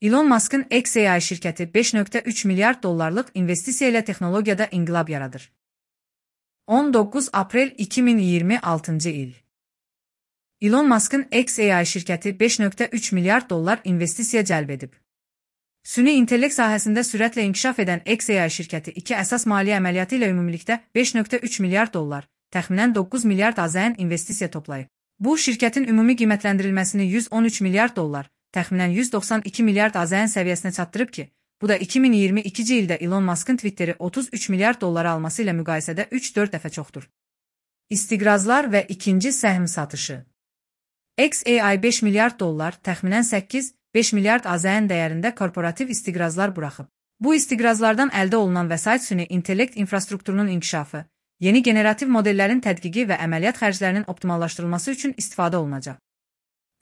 Elon Musk'ın xAI şirkəti 5,3 milyard dollarlıq investisiya ilə texnologiyada inqilab yaradır. 19 aprel 2026 il. Elon Musk'ın xAI şirkəti 5,3 milyard dollar investisiya cəlb edib. Süni intellekt sahəsində sürətlə inkişaf edən xAI şirkəti iki əsas maliyyə əməliyyatı ilə ümumilikdə 5,3 milyard dollar, təxminən 9 milyard AZN investisiya toplayıb. Bu, şirkətin ümumi qiymətləndirilməsini 113 milyard dollar, təxminən 192 milyard AZN səviyyəsinə çatdırıb ki, bu da 2022-ci ildə Elon Musk'ın Twitter'i 33 milyard dollara alması ilə müqayisədə 3-4 dəfə çoxdur. İstiqrazlar və ikinci səhm satışı. xAI 5 milyard dollar, təxminən 8-5 milyard AZN dəyərində korporativ istiqrazlar buraxıb. Bu istiqrazlardan əldə olunan vəsait süni intellekt infrastrukturunun inkişafı, yeni generativ modellərin tədqiqi və əməliyyat xərclərinin optimallaşdırılması üçün istifadə olunacaq.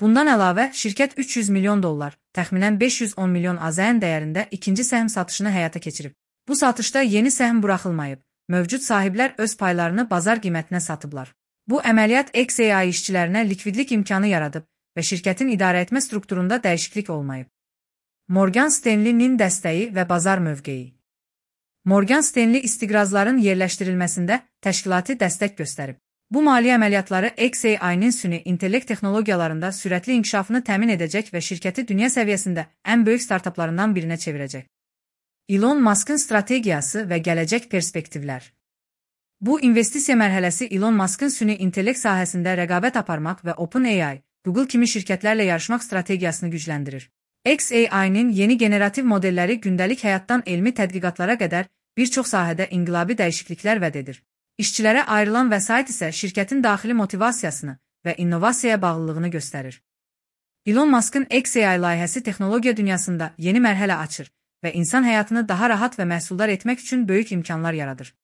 Bundan əlavə, şirkət 300 milyon dollar, təxminən 510 milyon AZN dəyərində ikinci səhm satışını həyata keçirib. Bu satışda yeni səhm buraxılmayıb, mövcud sahiblər öz paylarını bazar qiymətinə satıblar. Bu əməliyyat xAI işçilərinə likvidlik imkanı yaradıb və şirkətin idarəetmə strukturunda dəyişiklik olmayıb. Morgan Stanley-nin dəstəyi və bazar mövqeyi. Morgan Stanley istiqrazların yerləşdirilməsində təşkilati dəstək göstərib. Bu maliyyə əməliyyatları xAI-nin süni intellekt texnologiyalarında sürətli inkişafını təmin edəcək və şirkəti dünya səviyyəsində ən böyük startaplarından birinə çevirəcək. Elon Musk'ın strategiyası və gələcək perspektivlər. Bu investisiya mərhələsi Elon Musk'ın süni intellekt sahəsində rəqabət aparmaq və OpenAI, Google kimi şirkətlərlə yarışmaq strategiyasını gücləndirir. xAI-nin yeni generativ modelləri gündəlik həyatdan elmi tədqiqatlara qədər bir çox sahədə inqilabi dəyişikliklər vəd edir. İşçilərə ayrılan vəsait isə şirkətin daxili motivasiyasını və innovasiyaya bağlılığını göstərir. Elon Musk'ın xAI layihəsi texnologiya dünyasında yeni mərhələ açır və insan həyatını daha rahat və məhsuldar etmək üçün böyük imkanlar yaradır.